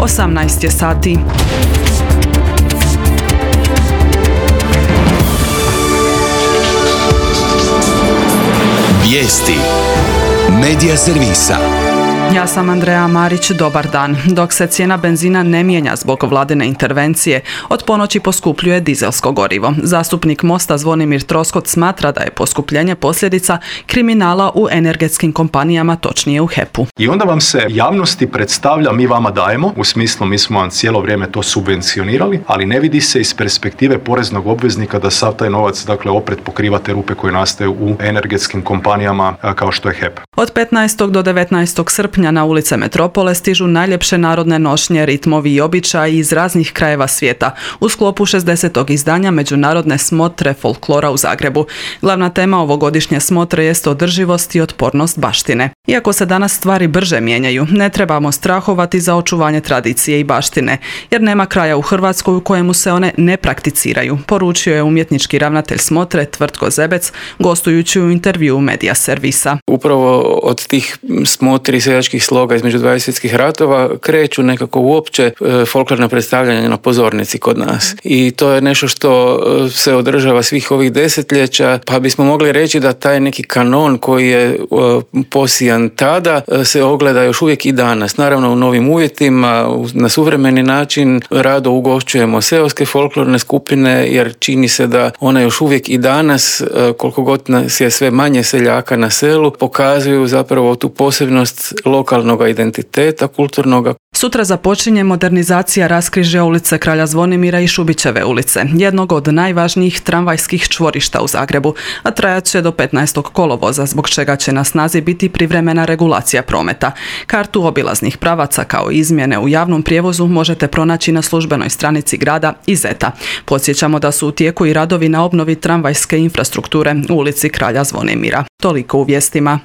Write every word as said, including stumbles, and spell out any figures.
osamnaest je sati. Vijesti Medija servisa. Ja sam Andreja Marić, dobar dan. Dok se cijena benzina ne mijenja zbog vladine intervencije, od ponoći poskupljuje dizelsko gorivo. Zastupnik Mosta Zvonimir Troskot smatra da je poskupljenje posljedica kriminala u energetskim kompanijama, točnije u H E P-u. I onda vam se javnosti predstavlja mi vama dajemo, u smislu mi smo vam cijelo vrijeme to subvencionirali, ali ne vidi se iz perspektive poreznog obveznika da sav taj novac, dakle, opet pokriva te rupe koje nastaju u energetskim kompanijama kao što je H E P. Od petnaestog do devetnaestog srpnja na ulice metropole stižu najljepše narodne nošnje, ritmovi i običaji iz raznih krajeva svijeta u sklopu šezdesetog izdanja Međunarodne smotre folklora u Zagrebu. Glavna tema ovogodišnje smotre jest održivost i otpornost baštine. Iako se danas stvari brže mijenjaju, ne trebamo strahovati za očuvanje tradicije i baštine, jer nema kraja u Hrvatskoj u kojemu se one ne prakticiraju, poručio je umjetnički ravnatelj smotre Tvrtko Zebec, gostujući u intervjuu Medija servisa. Upravo od tih smotri seljačkih sloga između dvaju svjetskih ratova kreću nekako uopće e, folklorna predstavljanja na pozornici kod nas. I to je nešto što se održava svih ovih desetljeća, pa bismo mogli reći da taj neki kanon koji je e, posijan tada e, se ogleda još uvijek i danas. Naravno u novim uvjetima, na suvremeni način rado ugošćujemo seoske folklorne skupine, jer čini se da one još uvijek i danas, e, koliko god nas je sve manje seljaka na selu, pokazuju zapravo tu posebnost lokalnog identiteta, kulturnog. Sutra započinje modernizacija raskrižja ulice Kralja Zvonimira i Šubićeve ulice, jednog od najvažnijih tramvajskih čvorišta u Zagrebu, a trajat će do petnaestog kolovoza, zbog čega će na snazi biti privremena regulacija prometa. Kartu obilaznih pravaca kao izmjene u javnom prijevozu možete pronaći na službenoj stranici grada i Zeta. Podsjećamo da su u tijeku i radovi na obnovi tramvajske infrastrukture u ulici Kralja Zvonimira. Toliko u vijestima.